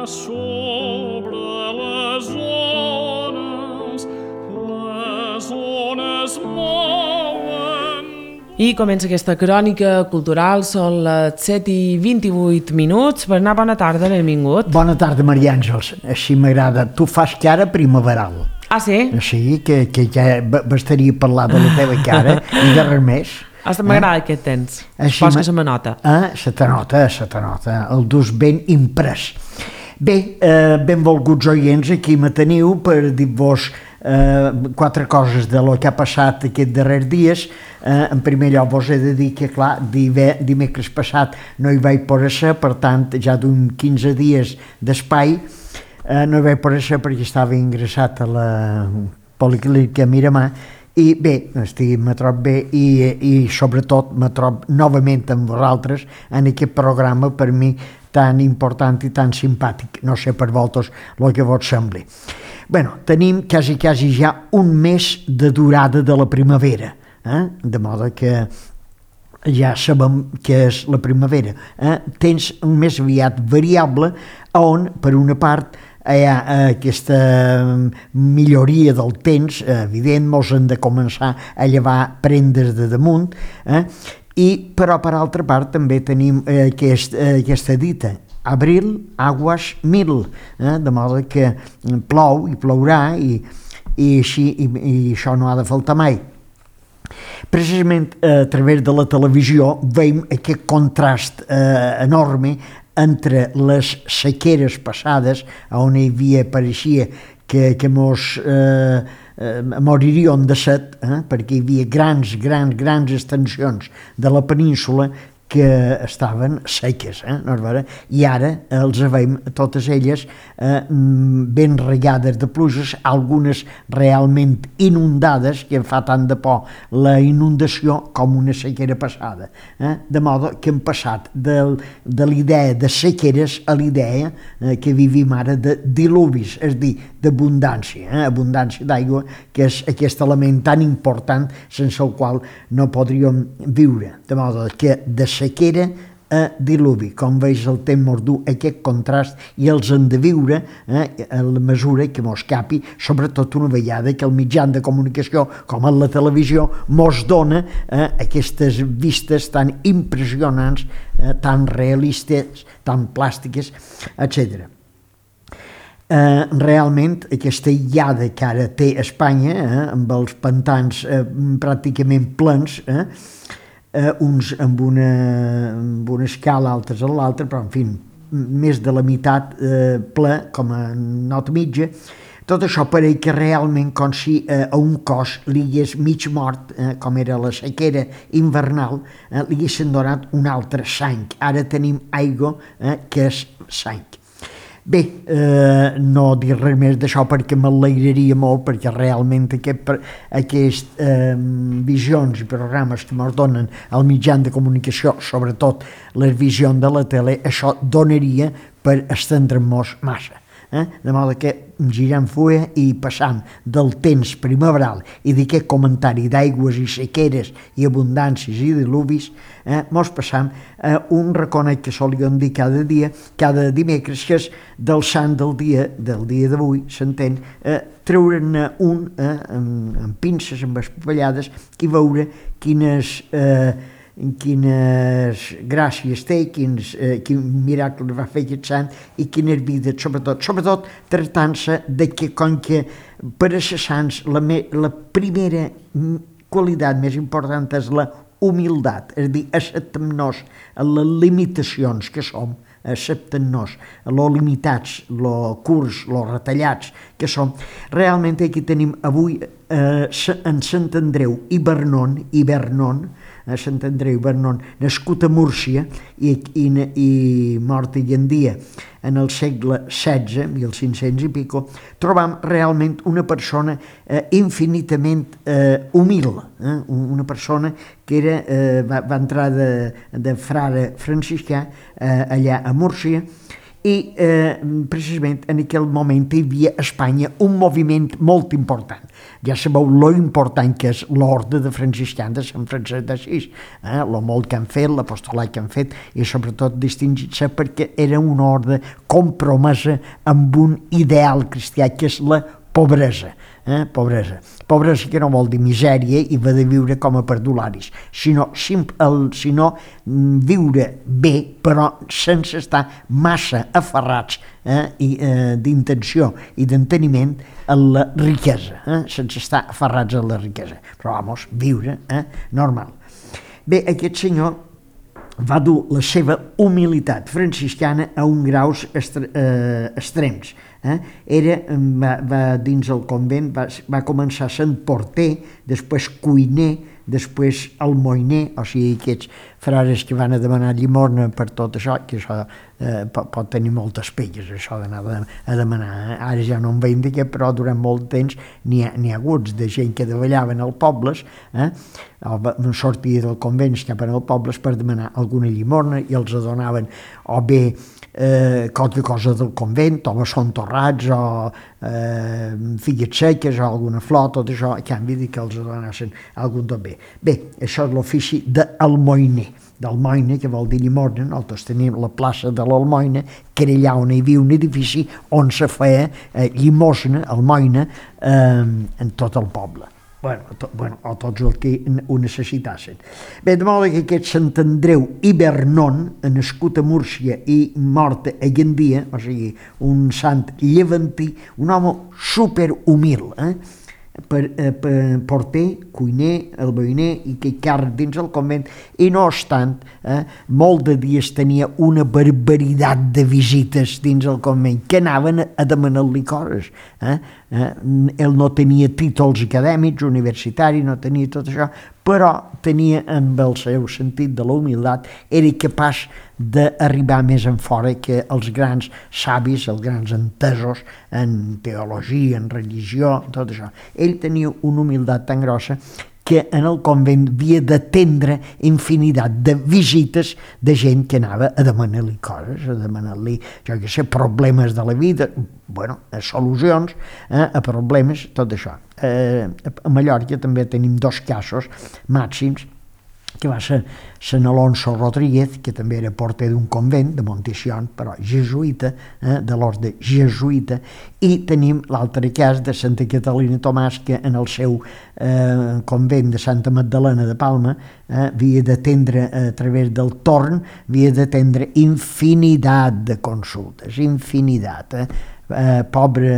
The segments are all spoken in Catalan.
sobre les ones mouen. I comença aquesta crònica cultural, són les 7:28. Bona tarda, benvingut. Bona tarda, Maria Àngels, així m'agrada. Tu fas cara primaveral. Ah, sí? Així que ja bastaria parlar de la teva cara i de res més. M'agrada aquest temps. Així Fos que se me nota. Se te nota. El dus ben imprès. Bé, benvolguts oients, aquí me teniu per dir-vos quatre coses de lo que ha passat aquests darrers dies. En primer lloc vos he de dir que, clar, dimecres passat no hi vaig poder ser, per tant, ja d'un 15 dies d'espai, no hi vaig poder ser perquè estava ingressat a la Policlínica Miramar. I bé, me trobo bé i sobretot me trobo novament amb vosaltres en aquest programa per mi tan important i tan simpàtic. No sé per vosaltres el que vos sembli. Bé, tenim quasi ja un mes de durada de la primavera, de modo que ja sabem què és la primavera. Tens un més aviat variable on, per una part, hi ha aquesta milloria del temps, evident, mos hem de començar a llevar prendes de damunt, però per altra part també tenim aquesta dita, abril, aguas mil, de modo que plou i plourà i això no ha de faltar mai. Precisament a través de la televisió veiem aquest contrast enorme entre les sequeres passades, on hi havia, pareixia que mos moriríem de set, perquè hi havia grans extensions de la península que estaven seques, i ara els veiem totes elles ben regades de pluges, algunes realment inundades, que em fa tant de por la inundació com una sequera passada, de modo que hem passat de l'idea de sequeres a l'idea que vivim ara de dilubis, és a dir, d'abundància, abundància d'aigua, que és aquest element tan important sense el qual no podríem viure, de modo que de sequera a diluvi. Com veus, el temps mos du aquest contrast i els hem de viure a la mesura que mos capi, sobretot una vegada que el mitjà de comunicació, com la televisió, mos dona aquestes vistes tan impressionants, tan realistes, tan plàstiques, etc. Realment aquesta illada que ara té Espanya, amb els pantans pràcticament plens, uns amb una escala, altres a l'altra, però en fi, més de la meitat ple, com a nota mitja. Tot això pareix que realment com si a un cos li hagués mig mort, com era la sequera invernal, li haguessin donat un altre sang. Ara tenim aigua que és sang. Bé, no dir res més d'això perquè m'alegraria molt, perquè realment aquestes visions i programes que ens donen al mitjà de comunicació, sobretot les visions de la tele, això donaria per estendre'ns massa. De modo que girant fulla i passant del temps primaveral i d'aquest comentari d'aigües i sequeres i abundàncies i dilubis, mos passam a un reconet que solíem dir cada dimecres, que és del sant del dia d'avui, s'entén, treure'n un amb pinces, amb espapallades, i veure quines gràcies té, quin miracle va fer aquest sant i quines vides, sobretot tractant-se de que, com que per a ser sants la primera qualitat més important és la humildat, és a dir, acceptem-nos a les limitacions que som, acceptem-nos a lo limitats, lo curts, lo retallats que som. Realment aquí tenim avui en Sant Andreu i Vernon, Sant Andreu i Vernon, nascut a Múrcia i mort avui en dia en el segle XVI, 1500 i pico, trobam realment una persona infinitament humil, una persona que va entrar de frare franciscà allà a Múrcia i precisament en aquell moment hi havia a Espanya un moviment molt important. Ja sabeu lo important que és l'orde de franciscans de Sant Francesc d'Assís, lo molt que han fet, l'apostolat que han fet, i sobretot distingir-se perquè era una orde compromesa amb un ideal cristià que és la pobresa. Pobresa que no vol dir misèria i va de viure com a perdularis, sinó viure bé però sense estar massa aferrats d'intenció i d'enteniment a la riquesa, sense estar aferrats a la riquesa, però viure normal. Bé, aquest senyor va dur la seva humilitat franciscana a un graus extrems. Va dins el convent, va començar sent porter, després cuiner, després almoiner, o sigui, aquests frares que van a demanar llimona per tot això, que això pot tenir moltes pelles, això d'anar a demanar. Ara ja no en veiem d'aquest, però durant molt temps n'hi ha hagut de gent que davallaven als pobles, sortia del convent cap als pobles per demanar alguna llimona i els donaven o bé qualque cosa del convent, o són torrats, o figues seques, o alguna flor, tot això, a canvi que els donessin algun tot bé. Bé, això és l'ofici d'almoiner, que vol dir llimona. Nosaltres tenim la plaça de l'Almoina, que era allà on hi havia un edifici on se feia llimosna, almoina, en tot el poble. O tots els que ho necessitassin. Bé, de modo que aquest Sant Andreu i Vernon, nascut a Múrcia i mort a Gandia, o sigui, un sant llevantí, un home superhumil, porter, cuiner, almoiner i que càrrec dins el convent, i no obstant, molt de dies tenia una barbaritat de visites dins el convent que anaven a demanar-li coses. Ell no tenia títols acadèmics, universitaris, no tenia tot això, però tenia, amb el seu sentit de la humilitat, era capaç d'arribar més en fora que els grans savis, els grans entesos en teologia, en religió, tot això. Ell tenia una humilitat tan grossa que en el convent havia d'atendre infinitat de visites de gent que anava a demanar-li coses, a demanar-li, jo què sé, problemes de la vida, solucions a problemes, tot això. A Mallorca també tenim 2 casos màxims, que va ser Sant Alonso Rodríguez, que també era porter d'un convent de Montesión, però jesuïta, de l'orde jesuïta, i tenim l'altre cas de Santa Catalina Tomàs, que en el seu convent de Santa Magdalena de Palma havia d'atendre a través del torn, havia d'atendre infinitat de consultes, infinitat. Pobre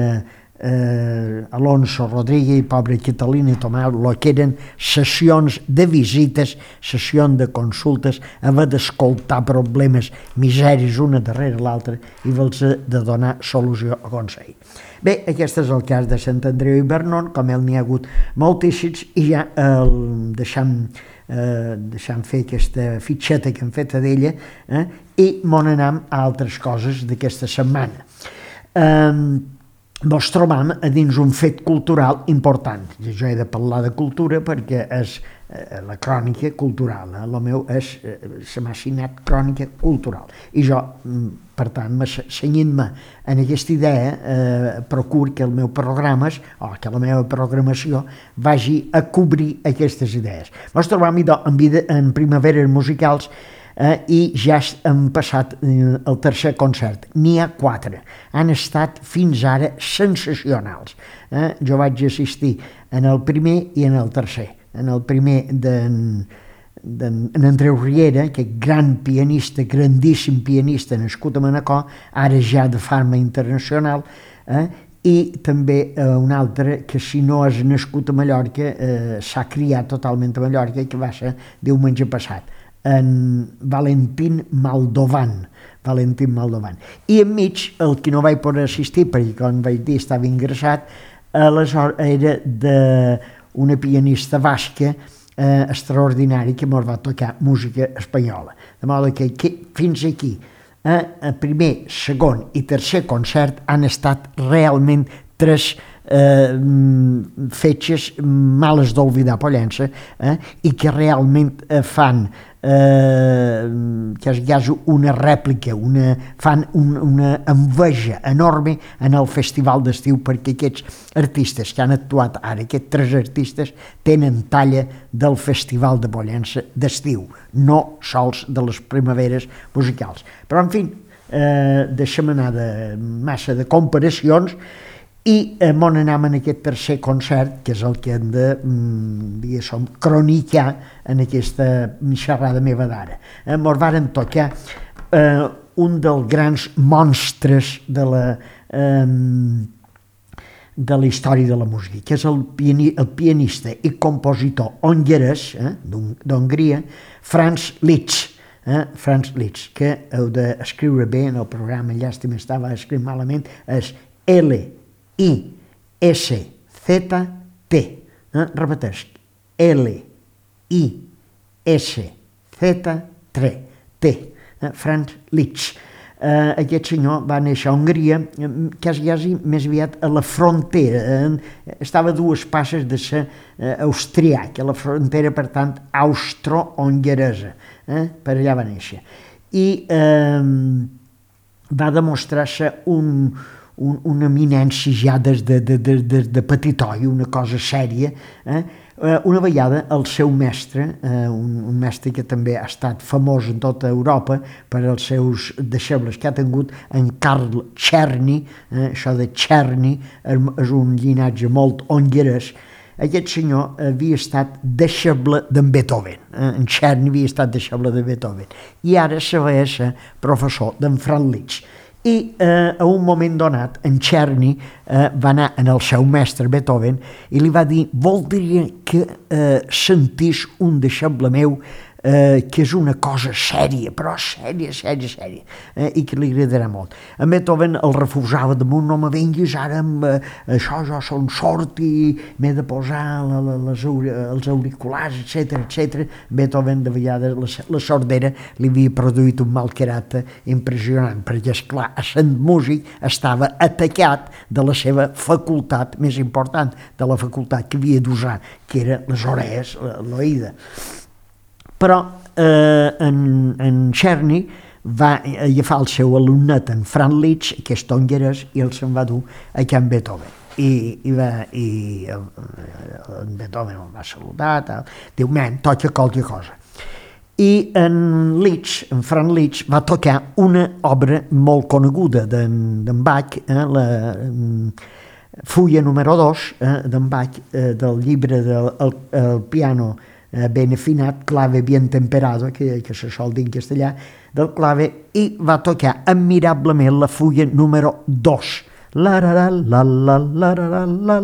Alonso Rodríguez i pobre Catalina Tomàs, el que eren sessions de visites, sessions de consultes, haver d'escoltar problemes, misèries una darrere l'altra i haver-los de donar solució a consell. Bé, aquest és el cas de Sant Andreu i Vernon, com n'hi ha hagut moltíssims, i ja deixant fer aquesta fitxeta que hem fet d'ella, i m'on anem a altres coses d'aquesta setmana. Ens trobam a dins un fet cultural important. Jo he de parlar de cultura perquè és la crònica cultural. El meu se m'ha assignat crònica cultural. I jo, per tant, cenyint-me en aquesta idea, procuro que el meu programes, o que la meva programació, vagi a cobrir aquestes idees. Ens trobam en primaveres musicals i ja hem passat el tercer concert. N'hi ha 4. Han estat fins ara sensacionals. Jo vaig assistir en el primer i en el tercer. En el primer d'en Andreu Riera, aquest gran pianista, grandíssim pianista nascut a Manacor, ara ja de fama internacional, i també un altre que, si no és nascut a Mallorca, s'ha criat totalment a Mallorca, que va ser diumenge passat, en Valentín Maldovan. I enmig, el que no vaig poder assistir, perquè, com vaig dir, estava ingressat, aleshores era d'una pianista basca extraordinària que ens va tocar música espanyola. De modo que fins aquí, el primer, segon i tercer concert han estat realment 3 fetges males d'oblidar Pollença, i que realment fan que hi hagi una rèplica, fan una enveja enorme en el festival d'estiu, perquè aquests artistes que han actuat ara, aquests 3 artistes, tenen talla del festival de Pollença d'estiu, no sols de les primaveres musicals. Però, en fi, deixem anar de massa de comparacions i m'on anem en aquest tercer concert, que és el que hem de cronicar en aquesta xerrada meva d'ara. Mos varen tocar un dels grans monstres de la història de la música, que és el pianista i compositor hongarès d'Hongria, Franz Liszt. Franz Liszt, que heu d'escriure bé en el programa, llàstima estava escrit malament, és L-I-S-Z-T. Repeteix, L-I-S-Z-T. Franz Liszt. Aquest senyor va néixer a Hongria, quasi més aviat a la frontera, estava a 2 passes de ser austríac, a la frontera, per tant, austro-hongaresa, per allà va néixer. I va demostrar-se una eminència ja des de petitoi, una cosa sèria. Una vegada el seu mestre, un mestre que també ha estat famós en tota Europa per als seus deixebles que ha tingut, en Karl Czerny, això de Czerny és un llinatge molt hongarès. Aquest senyor havia estat deixeble d'en Beethoven, en Czerny havia estat deixeble de Beethoven, i ara se va ser professor d'en Franz Liszt. I a un moment donat, en Czerny va anar en el seu mestre Beethoven i li va dir: voldria que sentís un deixeble meu que és una cosa sèria, però sèria, i que li agradarà molt. En Beethoven el refusava damunt: no me vinguis ara amb això, jo som sord i m'he de posar els auriculars, etc. Beethoven, de vegades, la sordera li havia produït un mal caràcter impressionant, perquè, esclar, sent músic estava atacat de la seva facultat més important, de la facultat que havia d'usar, que era les orelles, l'oïda. Però en Czerny va agafar el seu alumnat, en Franz Liszt, que és hongarès, i el se'n va dur a Can Beethoven. I en Beethoven el va saludar, diu: men, toca qualque cosa. I en Franz Liszt va tocar una obra molt coneguda d'en Bach, la fulla número 2 d'en Bach, del llibre del piano ben afinat, clave bien temperado, que se sol dir en castellà, del clave, i va tocar admirablement la fulla número 2. La la la la la la la la la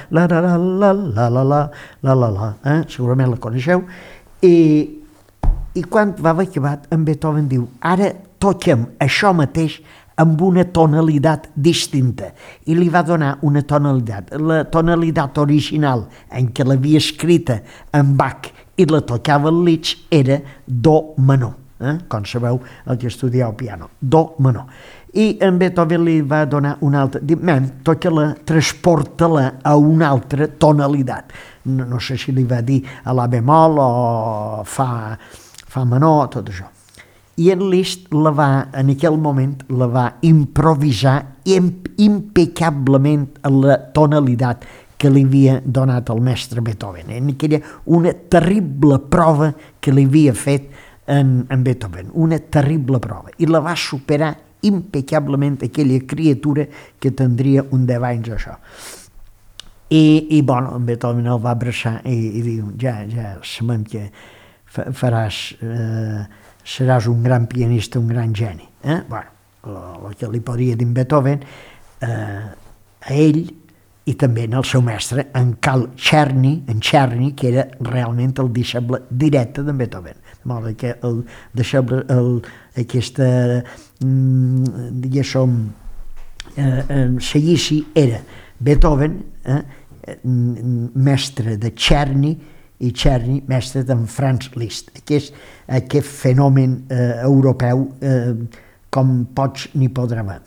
la la la la la la la la, segurament la coneixeu. I quan va haver acabat, en Beethoven diu: ara toquem això mateix amb una tonalitat distinta, i li va donar una tonalitat. La tonalitat original en què l'havia escrita en Bach i la tocava el Liszt era do menor, com sabeu el que estudieu piano, do menor. I en Beethoven li va donar una altra, diu: men, toca-la, transporta-la a una altra tonalitat. No sé si li va dir a la bemol o fa menor, tot això. I en Liszt en aquell moment la va improvisar impecablement a la tonalitat que li havia donat el mestre Beethoven. Era una terrible prova que li havia fet en Beethoven, una terrible prova. I la va superar impecablement aquella criatura que tindria un 10 anys, això. I bueno, en Beethoven el va abraçar i diu: ja sabem que seràs un gran pianista, un gran geni. Bueno, el que li podria dir en Beethoven a ell, i també en el seu mestre, en Karl Czerny, que era realment el deixeble directe d'en Beethoven. De modo que el deixeble, aquesta, diguéssim, seguici era Beethoven, mestre de Czerny, i Czerny, mestre d'en Franz Liszt. Aquest fenomen europeu, com pots ni podrà haver.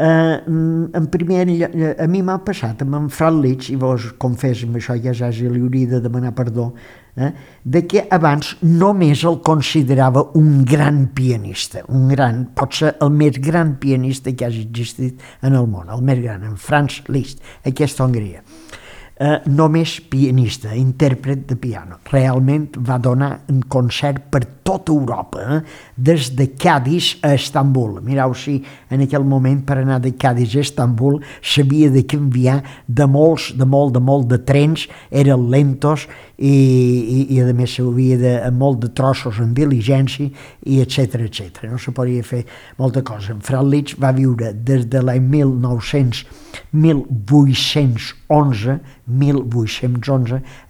En primer lloc, a mi m'ha passat amb en Fran Litsch, i vos confesso, amb això ja li hauria de demanar perdó, de que abans només el considerava un gran pianista, pot ser el més gran pianista que hagi existit en el món, el més gran, en Franz Liszt, aquesta Hongria. Només pianista, intèrpret de piano. Realment va donar un concert per tota Europa, des de Cádiz a Estambul. Mireu si en aquell moment per anar de Cádiz a Estambul s'havia de canviar de molt de trens, eren lentos i a més s'havia de molt de trossos en diligència i etcètera. No se podia fer molta cosa. En Franz Liszt va viure des de l'any 1811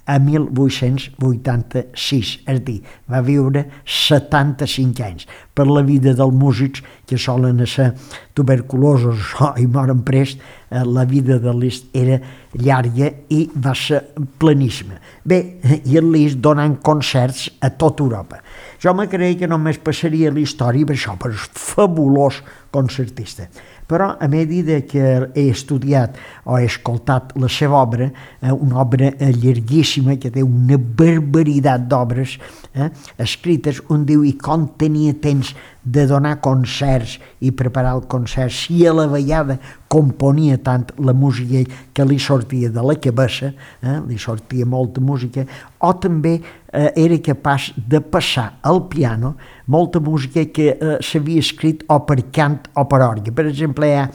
a 1886, és a dir, va viure 75 anys. Per la vida dels músics que solen ser tuberculosos i moren prest, la vida de Liszt era llarga i va ser pleníssima. Bé, i el Liszt donant concerts a tota Europa. Jo me creia que només passaria a la història per això, per fabulós concertista. Però a mesura que he estudiat o he escoltat la seva obra, una obra llarguíssima que té una barbaritat d'obres escrites, on diu i com tenia temps de donar concerts i preparar el concert, si a la vegada componia tant la música que li sortia de la cabeça, li sortia molta música, o també era capaç de passar al piano molta música que s'havia escrit o per cant o per orgue. Per exemple, hi ha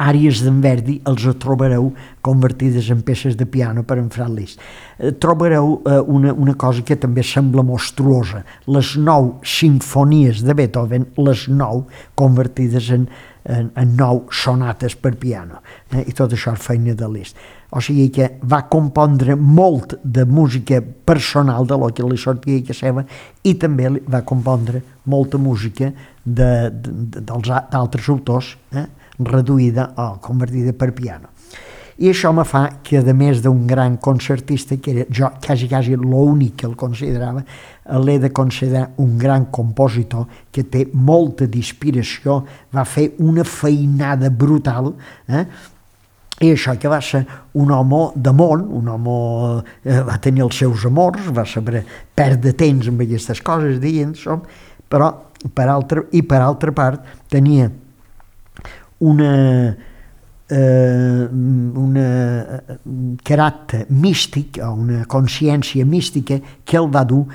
àries d'en Verdi, els trobareu convertides en peces de piano per en Franz Liszt. Trobareu una cosa que també sembla monstruosa, les 9 simfonies de Beethoven, les 9 convertides en 9 sonates per piano, i tot això és feina de Liszt. O sigui que va compondre molt de música personal de lo que li sortia que seva, i també va compondre molta música d'altres autors, reduïda o convertida per piano. I això me fa que, a més d'un gran concertista, que era jo quasi l'únic que el considerava, l'he de considerar un gran compositor que té molta d'inspiració, va fer una feinada brutal, i això que va ser un home de món, un home va tenir els seus amors, va saber perdre temps amb aquestes coses, però per altra part tenia un caràcter místic, o una consciència mística que el va dur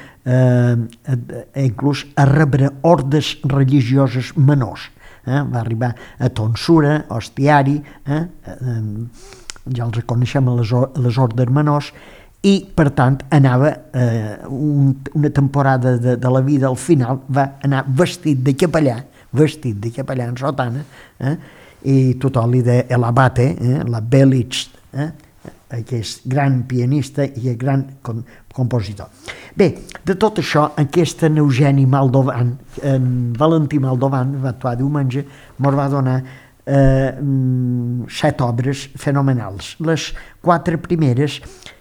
inclús a rebre ordes religioses menors. Va arribar a tonsura, hostiari, ja els coneixem a les ordes menors, i per tant anava una temporada de la vida, al final va anar vestit de capellà en sotana, i tothom li deia l'abate, la Belitz, aquest gran pianista i gran compositor. Bé, de tot això, aquest Eugeni Moldovan, Valentí Moldovan, va actuar diumenge, ens va donar 7 obres fenomenals. Les 4 primeres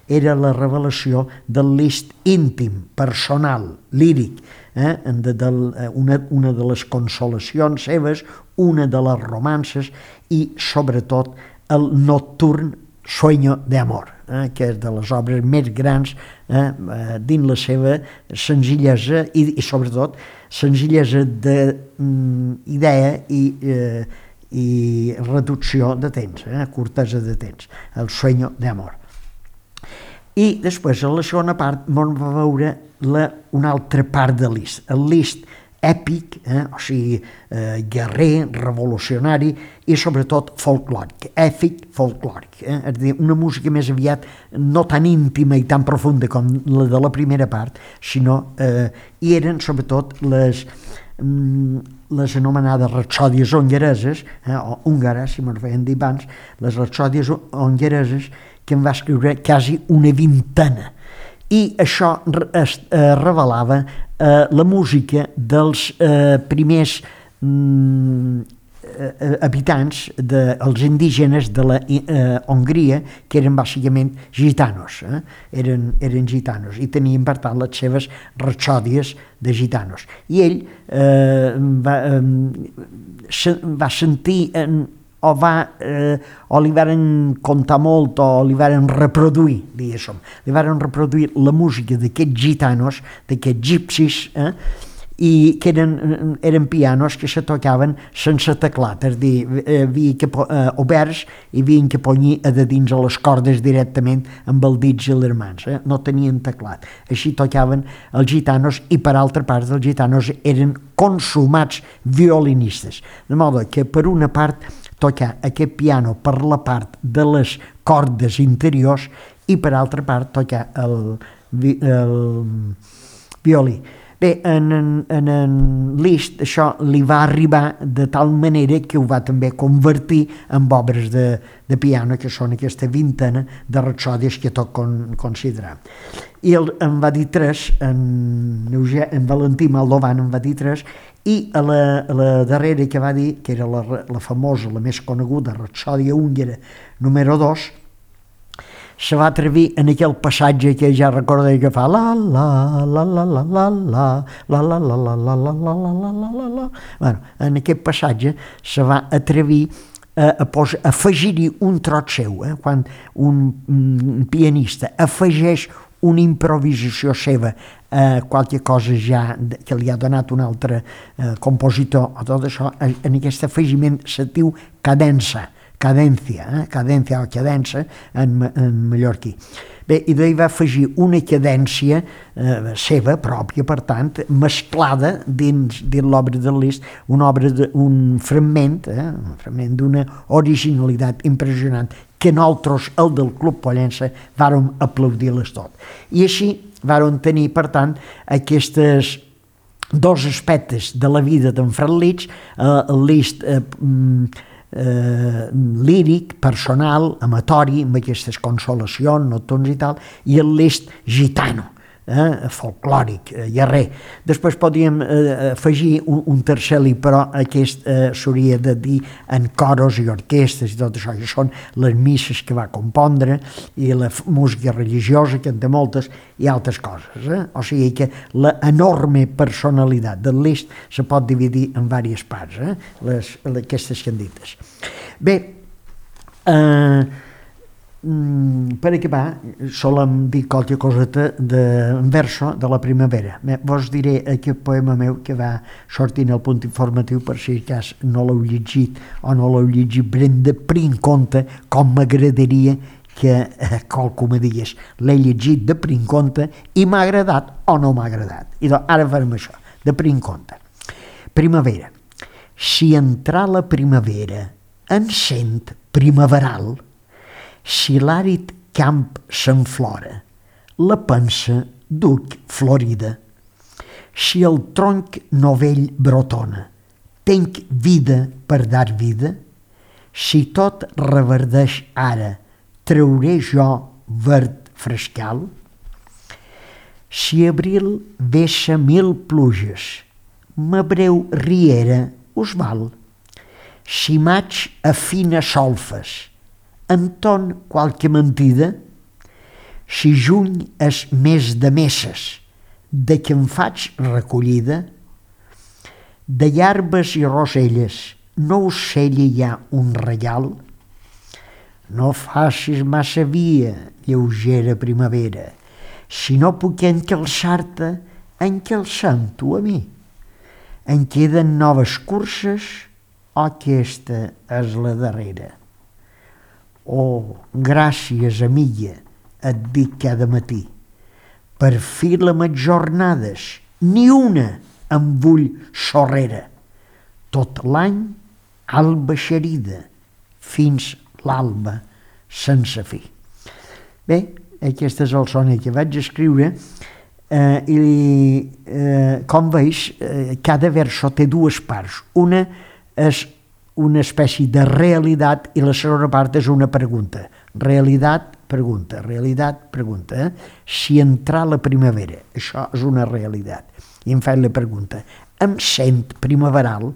era la revelació del Liszt íntim, personal, líric, una de les consolacions seves, una de les romances i, sobretot, el nocturn Sueño de Amor, que és de les obres més grans dins la seva senzillesa i sobretot, senzillesa d'idea i reducció de temps, curtesa de temps, el Sueño de Amor. I després, a la segona part, ens va veure una altra part de Liszt, el Liszt èpic, o sigui, guerrer, revolucionari i sobretot folclòric, èpic folclòric, és a dir, una música més aviat no tan íntima i tan profunda com la de la primera part, sinó i eren sobretot les anomenades rapsòdies hongareses, o húngares, si me'n feien dir abans, les rapsòdies hongareses, que en va escriure quasi una vintena. I això revelava la música dels primers habitants, els indígenes de la Hongria, que eren bàsicament gitanos, eren gitanos, i tenien per tant les seves ratxòdies de gitanos. I ell va sentir o li varen contar molt o li varen reproduir, diguéssim, li varen reproduir la música d'aquests gitanos, d'aquests gipsis, i que eren pianos que se tocaven sense teclat, és a dir, oberts, i havien que ponyir a de dins a les cordes directament amb els dits i les mans, no tenien teclat. Així tocaven els gitanos, i per altra part els gitanos eren consumats violinistes, de modo que per una part tocar aquest piano per la part de les cordes interiors i per altra part tocar el violí. Bé, en Liszt això li va arribar de tal manera que ho va també convertir en obres de piano, que són aquesta vintena de rapsòdies que tot considerar. I en va dir tres, en Valentí Moldovan en va dir tres, i a la darrera que va dir, que era la famosa, la més coneguda, Rapsòdia húngara número 2, se va atrevir en aquell passatge que ja recorda que fa la la la la la la la la la la la la la la la la la. Bueno, en aquest passatge se va atrevir a afegir-hi un trot seu, quan un pianista afegeix una improvisació seva a qualque cosa ja que li ha donat un altre compositor o tot això, en aquest afegiment se diu cadència o cadença en mallorquí. Bé, i d'ahir va afegir una cadència seva pròpia, per tant, mesclada dins l'obra de Liszt, un fragment d'una originalitat impressionant que nosaltres, el del Club Pollença, vàrem aplaudir-les tot. I així vàrem tenir, per tant, aquests dos aspectes de la vida d'en Franz Liszt, el Liszt líric, personal, amatori, amb aquestes consolacions, nocturns i tal, i el Liszt gitano, folclòric, guerrer. Després podíem afegir un tercer li, però aquest s'hauria de dir en coros i orquestres i tot això, que són les misses que va compondre i la música religiosa, que en té moltes, i altres coses. O sigui que l'enorme personalitat del Liszt se pot dividir en diverses parts, aquestes que han dites. Bé, per acabar, solem dir qualque coseta en verso de la primavera. Vos diré aquest poema meu que va sortir en el Punt Informatiu, per si cas no l'heu llegit o no l'heu llegit, prenc compte com m'agradaria que qualcú me digués l'he llegit de prenc compte i m'ha agradat o no m'ha agradat. I doncs ara farem això, de prenc compte. Primavera. Si entrar la primavera en sent primaveral, si l'àrid camp s'enflora, la pensa duc florida. Si el tronc novell brotona, tenc vida per dar vida, si tot reverdeix ara, trauré jo verd frescal. Si abril veixa 1000 pluges, m'abreu riera us val. Si maig afina solfes, enton qualque mentida, si juny és mes de messes, de què em faig recollida, de llarbes i roselles no us cella ja un regal, no facis massa via, lleugera primavera, si no puc encalçar-te, encalçant-ho a mi. En queden noves curses o aquesta és la darrera? Oh, gràcies, amiga, et dic cada matí. Per fi les jornades, ni una em vull sorrera. Tot l'any, alba xerida, fins l'alba sense fi. Bé, aquesta és el sonnet que vaig escriure i, com veus, cada verso té dues parts. Una és una espècie de realitat i la segona part és una pregunta. Realitat, pregunta, realitat, pregunta. Si entrar la primavera, això és una realitat. I em faig la pregunta, em sent primaveral?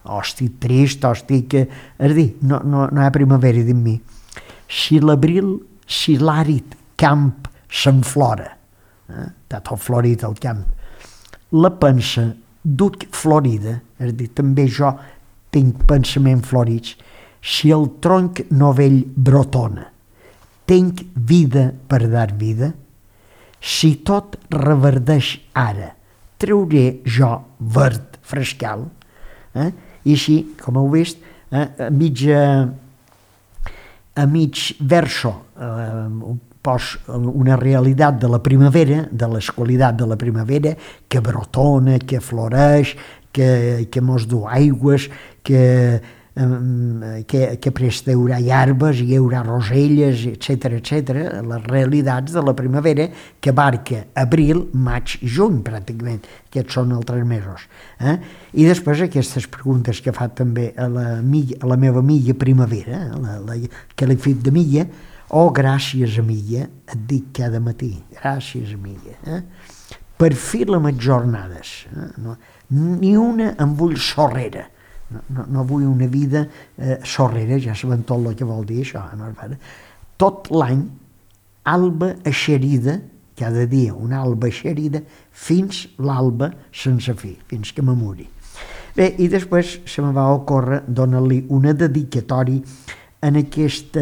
o estic trist, o estic... És dir, no hi ha primavera dins mi. Si l'abril, si l'àrid camp s'enflora, està tot florit al camp, la pensa duc florida, és dir, també jo tinc pensaments florits, si el tronc novell brotona, tinc vida per dar vida, si tot reverdeix ara, treuré jo verd frescal, i així, com heu vist, a mig verso pos una realitat de la primavera, de les qualitats de la primavera, que brotona, que floreix, que mos du aigües, que prest hi haurà llarbes, hi haurà roselles, etc. Les realitats de la primavera que abarca abril, maig i juny, pràcticament. Aquests són els 3 mesos. I després aquestes preguntes que fa també a la meva amiga primavera, que l'he fet de milla, gràcies, amiga, et dic cada matí, gràcies, amiga. Per fi les meves jornades. Ni una em vull sorrera. No vull una vida sorrera, ja sabem tot el que vol dir això. Tot l'any, alba eixerida, cada dia una alba eixerida, fins l'alba sense fi, fins que me muri. Bé, i després se me va ocórrer donar-li una dedicatori en aquest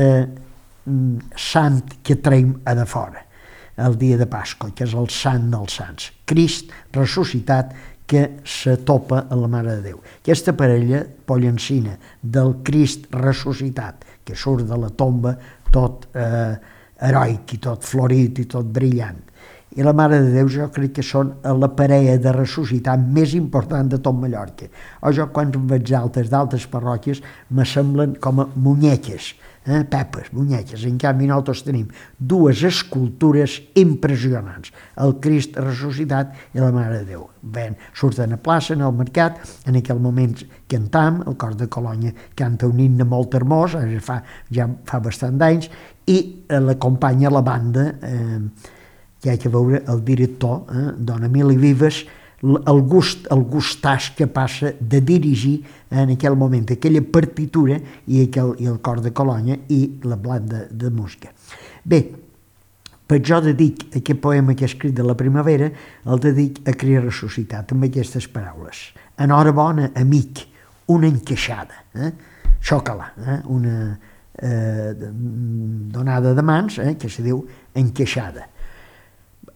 sant que traiem a de fora, el dia de Pasqua, que és el sant dels sants, Crist ressuscitat, que se topa a la Mare de Déu. Aquesta parella pollencina del Crist ressuscitat, que surt de la tomba tot heroic i tot florit i tot brillant. I la Mare de Déu jo crec que són la parella de ressuscitat més important de tot Mallorca. O jo quan veig d'altres parròquies me semblen com a munyeques, pepes, munyeques. En canvi nosaltres tenim 2 escultures impressionants, el Crist ressuscitat i la Mare de Déu. Surten a plaça, en el mercat, en aquell moment cantam, el cor de Colònia canta un himne molt hermós, ja fa bastant d'anys, i l'acompanya la banda, que hi ha que veure el director, Don Emili Vives, el gustàs que passa de dirigir en aquell moment aquella partitura i el cor de Colònia i la banda de música. Bé, per jo dedic aquest poema que he escrit de la primavera, el dedic a Crist ressuscitat, amb aquestes paraules. Enhorabona, amic, una encaixada, xoca-la, una donada de mans, que se diu encaixada.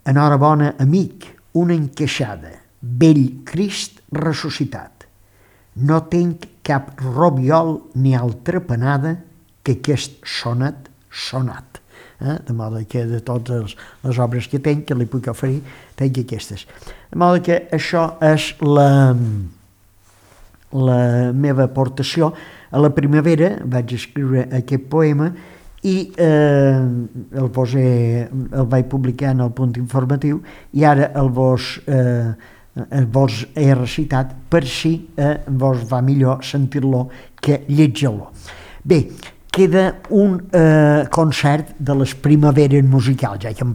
Enhorabona, amic, una encaixada, vell Crist ressuscitat. No tinc cap robiol ni altra panada que aquest sonat sonat. De modo que de totes les obres que tinc, que li puc oferir, tinc aquestes. De modo que això és la meva aportació. A la primavera vaig escriure aquest poema i el vaig publicar en el Punt Informatiu i ara vos he recitat per si vos va millor sentir-lo que llegir-lo. Bé, queda un concert de les primaveres musicals, ja que hem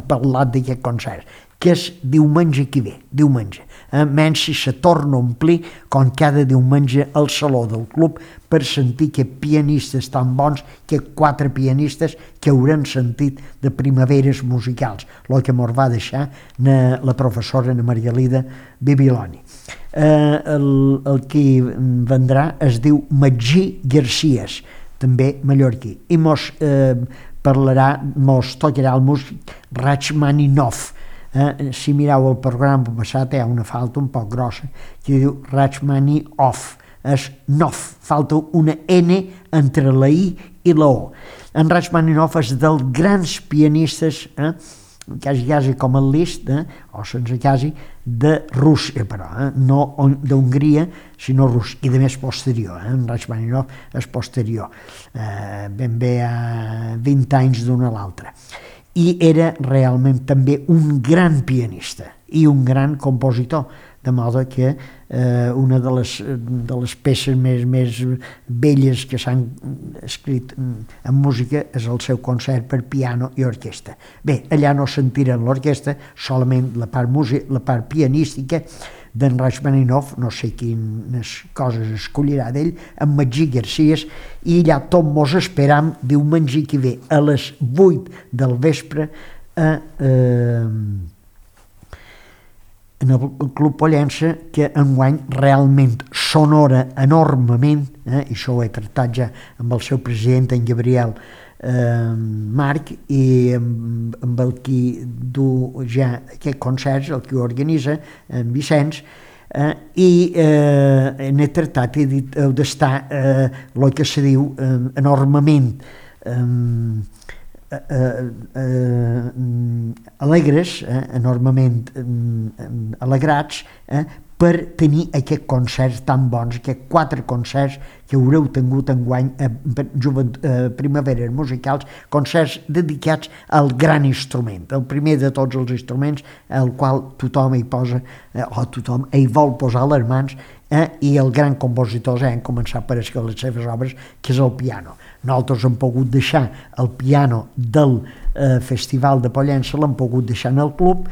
parlat d'aquest concert, que és diumenge que ve, diumenge. Menys si se torna a omplir com cada diumenge al saló del club per sentir que pianistes tan bons, que 4 pianistes que hauran sentit de primaveres musicals, el que mos va deixar la professora Margalida Bibiloni. El que vendrà es diu Magí Garcías, també mallorquí, i mos tocarà el músic Rachmaninov. Si mireu el programa passat hi ha una falta un poc grossa que diu Rachmaninov, és Nov, falta una N entre la I i la O. En Rachmaninov és dels grans pianistes, quasi com el Liszt, o sense quasi, de Rússia, però, no d'Hongria, sinó rus, i de més posterior. En Rachmaninov és posterior, ben bé a 20 anys d'una a l'altra. I era realment també un gran pianista i un gran compositor, de modo que una de les peces més belles que s'han escrit en música és el seu concert per piano i orquestra. Bé, allà no sentirem l'orquestra, solament la part pianística, d'en Rachmaninoff, no sé quines coses escollirà d'ell, en Magí García, i allà tot mos esperam diumenge que ve a les 8 del vespre en el Club Pollença, que enguany realment s'honora enormement, i això ho he tractat ja amb el seu president, en Gabriel Marc, i amb el qui du ja aquest concert, el que ho organitza, en Vicenç, i n'he tractat, he dit, heu d'estar, el que se diu, enormement alegres, enormement alegrats, per tenir aquests concerts tan bons, aquests 4 concerts que haureu tingut enguany primaveres musicals, concerts dedicats al gran instrument, el primer de tots els instruments, el qual tothom hi posa, o tothom hi vol posar les mans, i el gran compositor han començat per escriure les seves obres, que és el piano. Nosaltres hem pogut deixar el piano del Festival de Pollença, l'hem pogut deixar en el club,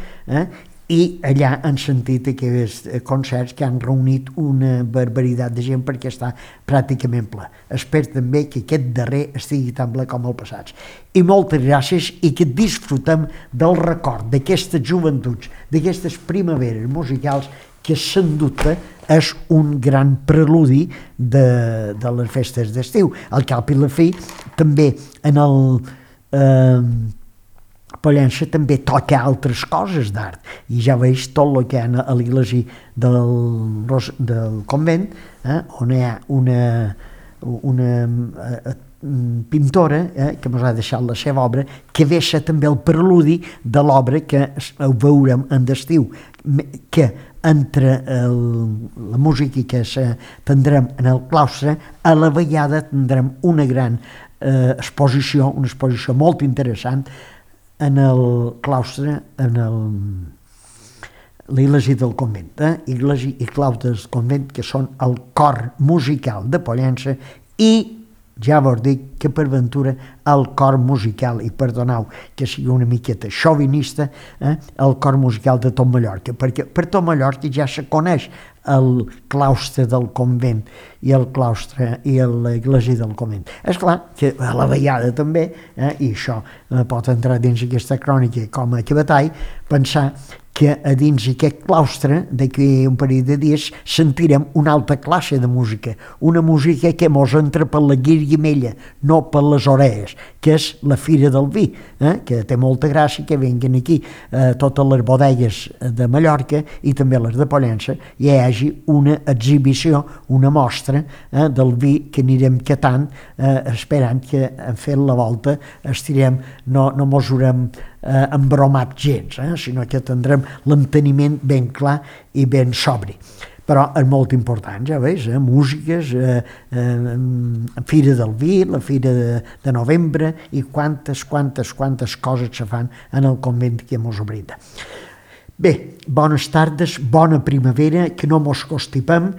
i allà han sentit aquests concerts que han reunit una barbaritat de gent perquè està pràcticament ple. Espero també que aquest darrer estigui tan ple com el passat. I moltes gràcies i que disfrutem del record d'aquestes joventuts, d'aquestes primaveres musicals que sens dubte és un gran preludi de les festes d'estiu. Al cap i la fi també en el Pollença també toca altres coses d'art, i ja veig tot el que hi ha a l'església del convent, on hi ha una pintora que ens ha deixat la seva obra, que deixa també el preludi de l'obra que veurem en d'estiu, que entre la música que tindrem en el claustre, a la vegada tindrem una gran exposició, una exposició molt interessant en el claustre, en l'església del convent, església i claustre del convent, que són el cor musical de Pollença, i ja vos dic que per ventura el cor musical, i perdoneu que sigui una miqueta xovinista, el cor musical de tot Mallorca, perquè per tot Mallorca ja se coneix el claustre del convent i el claustre i l'església del convent. És clar que a la vegada també, i això pot entrar dins aquesta crònica com a cabatall, pensar que a dins aquest claustre, d'aquí un parell de dies, sentirem una altra classe de música, una música que mos entra per la guirguimella, no per les orelles, que és la Fira del Vi, que té molta gràcia que venguen aquí totes les bodegues de Mallorca i també les de Pollença, i hi hagi una exhibició, una mostra del vi que anirem catant, esperant que fent la volta estirem, no mos haurem embromat gens, sinó que tindrem l'enteniment ben clar i ben sobri. Però és molt important, ja veus, músiques, Fira del Vi, la Fira de Novembre, i quantes coses se fan en el convent que mos brinda. Bé, bones tardes, bona primavera, que no mos constipem,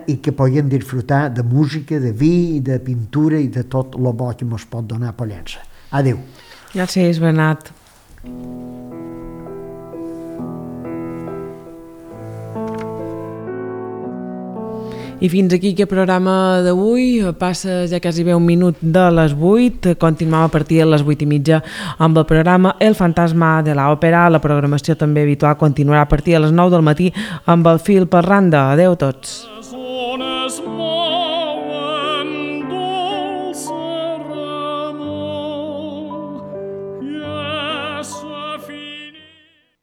i que puguem disfrutar de música, de vi, de pintura i de tot el bo que mos pot donar Pollença. Adéu. Gràcies, Bernat. I fins aquí aquest programa d'avui. Passa ja quasi bé un minut de les 8. Continuem a partir de les 8:30 amb el programa El fantasma de l'òpera. La programació també habitual continuarà a partir de les 9 del matí amb el fil per randa. Adéu a tots.